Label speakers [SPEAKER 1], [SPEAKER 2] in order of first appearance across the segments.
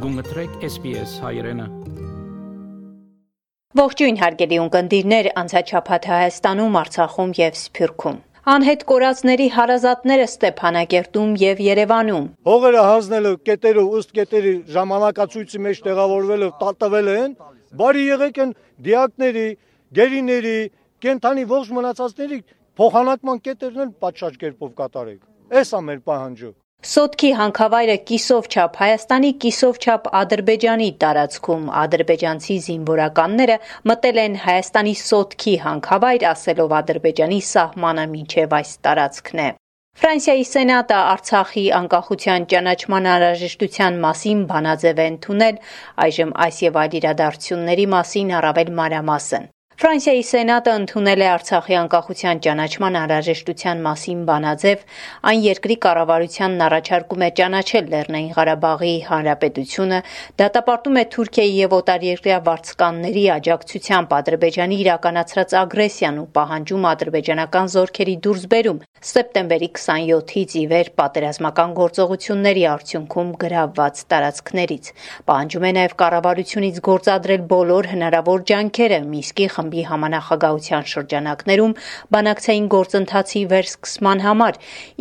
[SPEAKER 1] Գունգտրեք SPS հայրենը։
[SPEAKER 2] Ողջույն հարգելի ունկնդիրներ, անցաչափաթ Հայաստանում, Արցախում եւ Սփյուռքում։ Անհետ կորածների հարազատները Ստեփանակերտում եւ Երևանում։
[SPEAKER 3] Հողերը հանձնելը կետերը ըստ կետերի ժամանակացույցի մեջ տեղավորվելը տատվել են, բարի եղեք են դիակների, գերիների, կենթանի ողջ մնացածների փոխանակման կետերն էլ պատշաճ կերպով կատարեք։ Էս է մեր պահանջը։
[SPEAKER 2] Սոտքի հանքավայրը կիսովչափ Հայաստանի, կիսովչափ Ադրբեջանի տարածքում ադրբեջանցի զինվորականները մտել են Հայաստանի Սոտքի հանքավայր, ասելով Ադրբեջանի սահմանը մինչև այս տարածքն է։ Ֆրանսիայի Սենատը Արցախի անկախության ճանաչման անհրաժեշտության մասին բանաձև է ընդունել, այժմ այս եւ այլ իրադարձությունների մասին առավել մանրամասն։ Ֆրանսիայի Սենատը ընդունել է Արցախի անկախության ճանաչման անհրաժեշտության մասին բանաձև, այն երկրի կառավարությանն առաջարկում է ճանաչել Լեռնային Ղարաբաղի Հանրապետությունը, դատապարտում է Թուրքիայի եւ օտարերկրյա վարձկանների աջակցությամբ Ադրբեջանի իրականացրած ագրեսիան ու պահանջում ադրբեջանական զորքերի դուրսբերում սեպտեմբերի 27-ից ի վեր պատերազմական գործողությունների արդյունքում գրավված տարածքներից։ Պահանջում է նաեւ կառավարությունից գործադրել բոլոր հնարավոր ջանքերը Միսկի խմբի համանախագահության շրջանակներում բանակցային գործընթացի վերսկսման համար,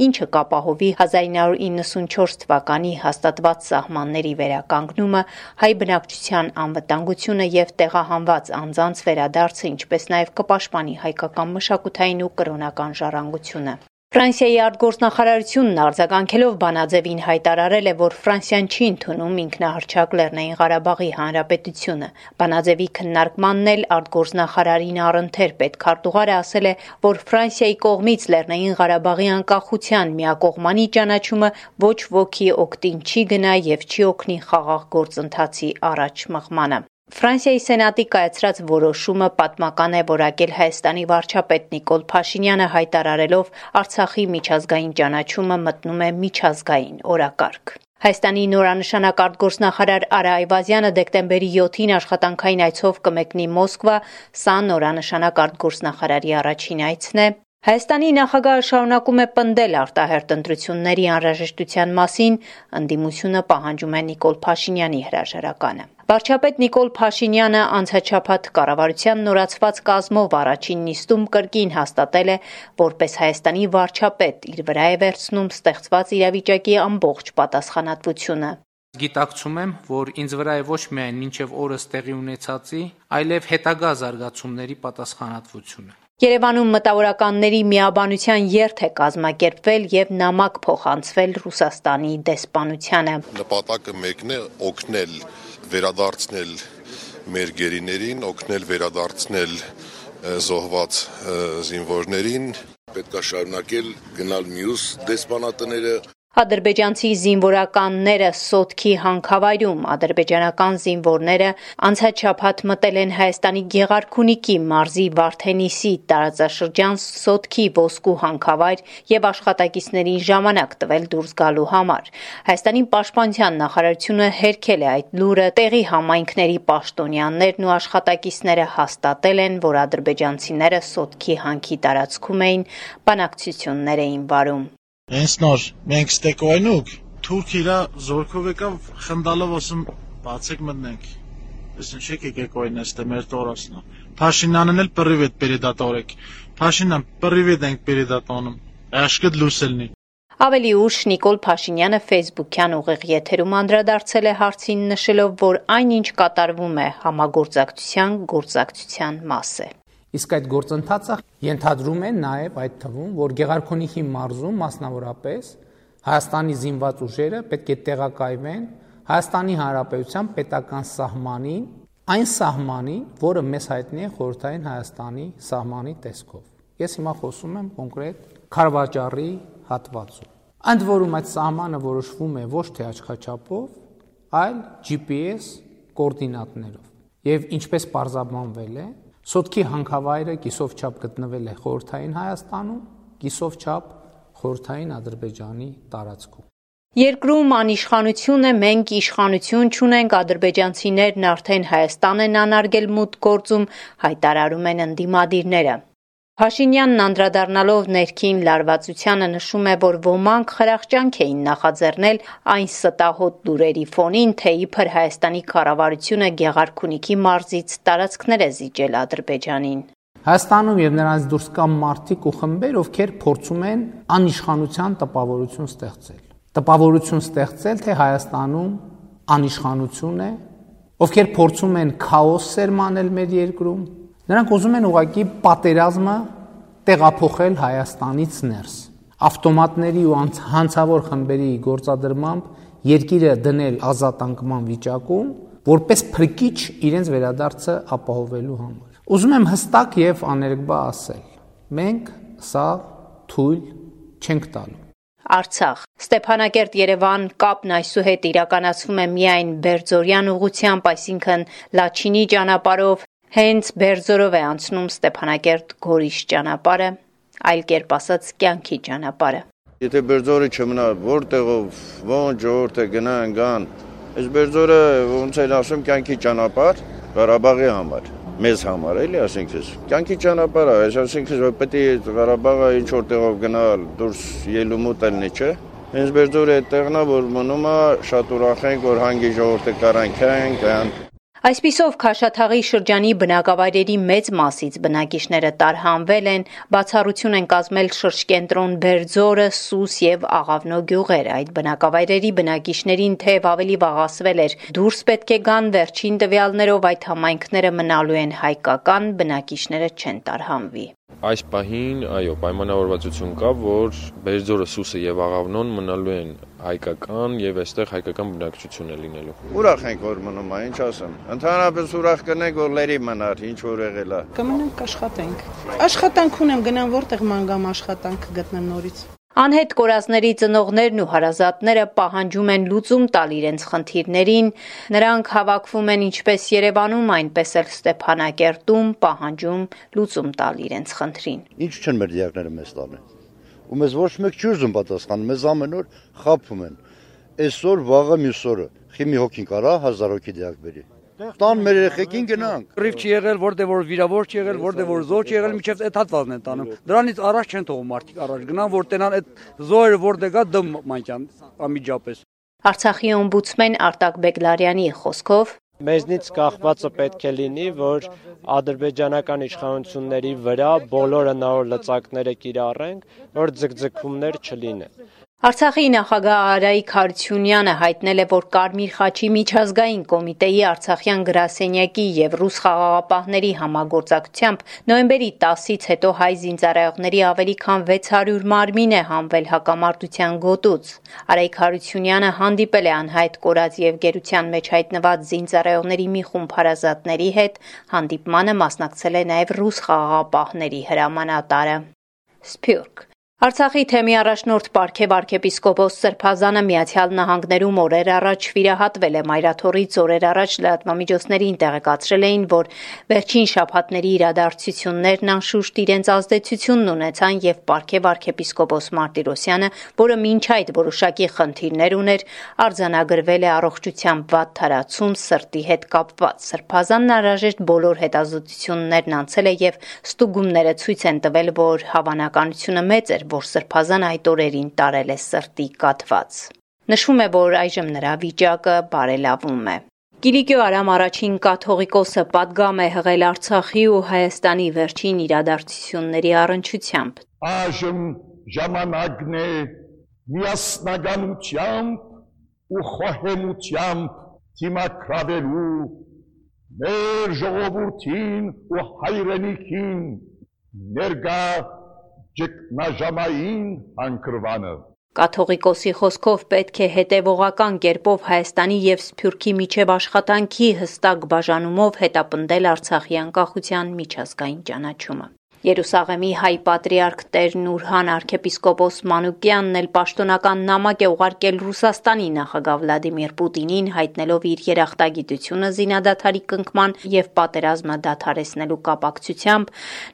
[SPEAKER 2] ինչը կապահովի 1994 թվականի հաստատված սահմանների վերականգնումը, հայ բնակչության անվտանգությունը եւ տեղահանված անձանց վերադարձը, ինչպես նաեւ կպաշտպանի հայկական մշակութային ու կրոնական ժառանգությունը։ Ֆրանսիայի արտգործնախարարությունն արձագանքելով բանաձևին հայտարարել է, որ Ֆրանսիան չի ընդունում ինքնահռչակ Լեռնային Ղարաբաղի Հանրապետությունը։ Բանաձևի քննարկմանն էլ արտգործնախարարին առընթեր պետքարտուղարը ասել է, որ Ֆրանսիայի կողմից Լեռնային Ղարաբաղի անկախության միակողմանի ճանաչումը ոչ ոքի օգտին չի գնա եւ չի օգնի խաղաղ գործընթացի առաջ մղմանը։ Ֆրանսիայի Սենատի կայացրած որոշումը պատմական է որակել Հայաստանի վարչապետ Նիկոլ Փաշինյանը հայտարարելով Արցախի միջազգային ճանաչումը մտնում է միջազգային օրակարգ։ Հայաստանի նորանշանակ արտգործնախարար Արա Այվազյանը դեկտեմբերի 7-ին աշխատանքային այցով կմեկնի Մոսկվա, սա նորանշանակ արտգործնախարարի առաջին այցն է։ Հայաստանի նախագահը շարունակում է պնդել արտահերթ ընտրությունների անհրաժեշտության մասին, ընդդիմությունը պահանջում է Նիկոլ Փաշինյանի հրաժարականը։ Վարչապետ Նիկոլ Փաշինյանը անցաչափաթ կառավարության նորացված կազմով առաջին նիստում կրկին հաստատել է, որպես Հայաստանի վարչապետ իր վրա է վերցնում ստեղծված իրավիճակի ամբողջ պատասխանատվությունը։
[SPEAKER 4] Գիտակցում եմ, որ ինձ վրա է ոչ միայն մինչև օրս տեղի ունեցածի, այլև հետագա զարգացումների պատասխանատվությունը։
[SPEAKER 2] Երևանում մտավորականների միաբանության երթ է կազմակերպվել եւ նամակ փոխանցվել Ռուսաստանի դեսպանությանը։
[SPEAKER 5] Նպատակը մեկն է օգնել վերադարձնել մեր գերիներին, օգնել վերադարձնել զոհված զինվորներին, պետք է շարունակել գնալ մյուս դեսպանատները։
[SPEAKER 2] Ադրբեջանցի զինվորականները Սոտքի հանքավայրում ադրբեջանական զինվորները անցաչափաթ մտել են Հայաստանի Գեղարքունիքի մարզի Վարդենիսի տարածաշրջան Սոտքի ոսկու հանքավայր եւ աշխատակիցներին ժամանակ տվել դուրս գալու համար։ Հայաստանի պաշտպանության նախարարությունը հերքել է այդ լուրը, տեղի համայնքների պաշտոնյաներն ու աշխատակիցները հաստատել են, որ ադրբեջանցիները Սոտքի հանքի տարածքում էին, բանակցություններ էին վարում։
[SPEAKER 6] Հենց նոր մենք ստեկոյնուկ թուրք իրա զորքով եկավ խնդալով ասում բացեք մտնենք։ Այսինքն չեք եկեք oyնեստե մեր տորասնա։ Փաշինյանն էլ պրիվետ передатորեք։ Փաշինյան պրիվետ ենք передатոնում։ Աշկդ լուսելնի։
[SPEAKER 2] Ավելի ուշ Նիկոլ Փաշինյանը Facebook-յան ուղիղ եթերում անդրադարձել է հարցին, նշելով, որ այնինչ կատարվում է համագործակցության մաս է։
[SPEAKER 4] Իսկ այդ գործընթացը ենթադրում է նաև այդ թվում, որ Գեղարքունիքի մարզում մասնավորապես Հայաստանի զինված ուժերը պետք է տեղակայվեն Հայաստանի Հանրապետության պետական սահմանին, այն սահմանին, որը մեզ հայտնի է խորհրդային Հայաստանի սահմանի տեսքով։ Ես հիմա խոսում եմ կոնկրետ Քարվաճառի հատվածում։ Ընդ որում այդ սահմանը որոշվում է ոչ թե աչքաչափով, այլ GPS կոորդինատներով։ Եվ ինչպես պարզաբանվել է, Սոտքի հանքավայրը կիսովչափ գտնվել է խորհրդային Հայաստանում, կիսովչափ խորհրդային Ադրբեջանի տարածքում։
[SPEAKER 2] Երկրում անիշխանություն է, մենք իշխանություն չունենք, ադրբեջանցիներն արդեն Հայաստան են անարգել մուտք գործում, հայտարարում են ընդդիմադիրները։ Փաշինյանն անդրադառնալով ներքին լարվածությանը նշում է, որ ոմանք խրախճանք էին նախաձեռնել այն ստահոդ լուրերի ֆոնին, թե իբր Հայաստանի կառավարությունը Գեղարքունիքի մարզից տարածքներ է զիջել Ադրբեջանին։
[SPEAKER 4] Հայաստանում եւ նրանց դուրս կան մարդիկ ու խմբեր, ովքեր փորձում են անիշխանության տպավորություն ստեղծել։ Տպավորություն ստեղծել, թե Հայաստանում անիշխանություն է, ովքեր փորձում են քաոս սերմանել մեր երկրում։ Նրանք ուզում են ուղղակի պատերազմը տեղափոխել Հայաստանից ներս։ Ավտոմատների ու հանցավոր խմբերի գործադրմամբ երկիրը դնել ազատանկման վիճակում, որպես փրկիչ իրենց վերադարձը ապահովելու համար։ Ուզում եմ հստակ եւ աներկբա ասել. մենք սա թույլ չենք տալու։
[SPEAKER 2] Արցախ Ստեփանակերտ-Երևան կապն այսուհետ իրականացվում է միայն Բերձորյան ուղղությամբ, այսինքն Լաչինի ճանապարհով, հենց Բերձորով է անցնում Ստեփանակերտ-Գորիս ճանապարհը, այլ կերպ ասած կյանքի ճանապարհը։
[SPEAKER 7] Եթե Բերձորը չմնա, որտեղով ոնց ժողովուրդը գան, այս Բերձորը ոնց են ասում կյանքի ճանապարհ Ղարաբաղի համար, մեզ համար էլի, ասենք ես։ Կյանքի ճանապարհը, այսինքն որ պետք է Ղարաբաղը ինչ որտեղով գնալ, դուրս ելումուտ ելնի, չէ։ Հենց Բերձորը այդտեղն է, որ մնում է, շատ ուրախ ենք, որ հանգի ժողովուրդը կան։
[SPEAKER 2] Այսպիսով Քաշաթաղի շրջանի բնակավայրերի մեծ մասից բնակիչները տարհանվել են, բացառություն են կազմել շրջկենտրոն Բերձորը, Սուս եւ Աղավնո գյուղերը։ Այդ բնակավայրերի բնակիչներին թեև ավելի վաղասվել էր դուրս պետք է գան, վերջին տվյալներով այդ համայնքները մնալու են հայկական, բնակիչները չեն տարհանվի։
[SPEAKER 8] Այս պահին, այո, պայմանավորվածություն կա, որ Բերձորը, Սուսը եւ Աղավնոն մնալու են հայկական եւ այստեղ հայկական բնակչություն է լինելու։
[SPEAKER 7] Ուրախ ենք, որ մնում է, ինչ ասեմ։ Ընդհանրապես ուրախ կնենք, որ լերի մնար, ինչ որ եղել է։
[SPEAKER 9] Կմնանք աշխատենք։ Աշխատանք ունեմ, գնամ որտեղ մանգամ աշխատանք գտնեմ նորից։
[SPEAKER 2] Անհետ կորածների ծնողներն ու հարազատները պահանջում են լուծում տալ իրենց խնդիրներին, նրանք հավաքվում են ինչպես Երևանում, այնպես էլ Ստեփանակերտում, պահանջում լուծում տալ իրենց խնդրին։
[SPEAKER 10] Ինչ չեն մեր դիակները մեզ տալեն։ Ու մեզ ոչ մեկ չի ուզում պատասխանել, մեզ ամեն օր խաբում են։ Այսօր, վաղը, մյուս օրը, խիմի հոգին կարա 1000 հոգի դիակ բերի։ Տան մեր երեխեքին գնանք։
[SPEAKER 11] Ռիվ չի եղել, որտեղ որ վիրավոր չի եղել, որտեղ որ զոհ չի եղել, միջև այդ հատվածն են տանում։ Դրանից առաջ չեն թողում մարդիկ առաջ գնան, որ տենան այդ զոհերը որտեղ կա դմ մանքյան անմիջապես։
[SPEAKER 2] Արցախի օմբուդսմեն Արտակ Բեգլարյանի խոսքով
[SPEAKER 12] մեզնից կախվածը պետք է լինի, որ ադրբեջանական իշխանությունների վրա բոլոր հնարավոր լծակները կիրառենք, որ ձգձգումներ չլինեն։
[SPEAKER 2] Արցախի նախագահ Արայիկ Հարությունյանը հայտնել է, որ Կարմիր խաչի միջազգային կոմիտեի Արցախյան գրասենյակի եւ ռուս խաղաղապահների համագործակցությամբ նոյեմբերի 10-ից հետո հայ զինծառայողների ավելի քան 600 մարմին է հանվել հակամարտության գոտուց։ Արայիկ Հարությունյանը հանդիպել է անհայտ կորած եւ գերության մեջ հայտնված զինծառայողների մի խումբ հարազատների հետ, հանդիպմանը մասնակցել է նաեւ ռուս խաղաղապահների հրամանատարը։ Սփյուռք Արցախի թեմի առաջնորդ Պարքև arczepiskopos Սրբազանը Միացյալ Նահանգներում օրեր առաջ վիրահատվել է մայրաթորից օրեր առաջ լրատվամիջոցներին տեղեկացրել էին, որ վերջին շաբաթների իրադարձություններն անշուշտ իրենց ազդեցությունն ունեցան եւ Պարքև arczepiskopos Մարտիրոսյանը, որը մինչ այդ որոշակի խնդիրներ ուներ, արձանագրվել է առողջության վատ թարացում սրտի հետ կապված։ Սրբազանն անհրաժեշտ բոլոր հետազոտություններն անցել է եւ ստուգումները ցույց են տվել, որ հավանականությունը մեծ էր, որ Սրբազան այդ օրերին տարել է սրտի կաթված։ Նշվում է, որ այժմ նրա վիճակը բարելավում է։ Կիլիկիո Արամ առաջին կաթողիկոսը պատգամ է հղել Արցախի ու Հայաստանի վերջին իրադարձությունների առնչությամբ։
[SPEAKER 13] Այժմ ժամանակն է միասնականությամբ ու խոհեմությամբ դիմակրավելու մեր ժողովրդին ու հայրենիքին ներկա ճգնաժամային անկրվանը։
[SPEAKER 2] Կաթողիկոսի խոսքով պետք է հետևողական կերպով Հայաստանի եւ Սփյուռքի միջև աշխատանքի հստակ բաժանումով հետապնդել Արցախի անկախության միջազգային ճանաչումը։ Երուսաղեմի հայ պատրիարք Տեր Նուրհան arczepiskopos Մանուկյանն էլ պաշտոնական նամակ է ուղարկել Ռուսաստանի նախագահ Վլադիմիր Պուտինին, հայտնելով իր երախտագիտությունը զինադադարի կնքման եւ պատերազմը դադարեցնելու կապակցությամբ։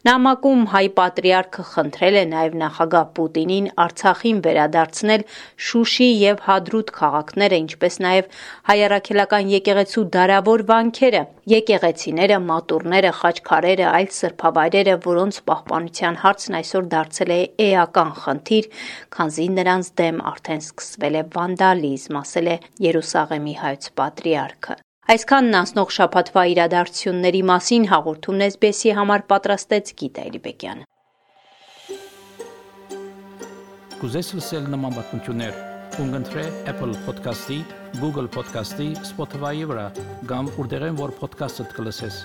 [SPEAKER 2] Նամակում հայ պատրիարքը խնդրել է նաեւ նախագահ Պուտինին Արցախին վերադարձնել Շուշի եւ Հադրութ քաղաքները, ինչպես նաեւ հայ-առաքելական եկեղեցու դարավոր վանքերը, եկեղեցիները, մատուրները, խաչքարերը, այլ սրբավայրերը, որոնց պահպանության հարցն այսօր դարձել է էական խնդիր, քանզի նրանց դեմ արդեն սկսվել է վանդալիզմ, ասել է Երուսաղեմի հայոց պատրիարքը։ Այսքանն անցնող շաբաթվա իրադարձությունների մասին հաղորդումն SBS-ի համար պատրաստեց Գիտա Էլիբեկյանը։
[SPEAKER 1] Կուզես լսել նման բանություններ, կընտրե Apple Podcast-ի, Google Podcast-ի, Spotify-ի վրա, կամ որտեղեն որ podcast-ը կլսես։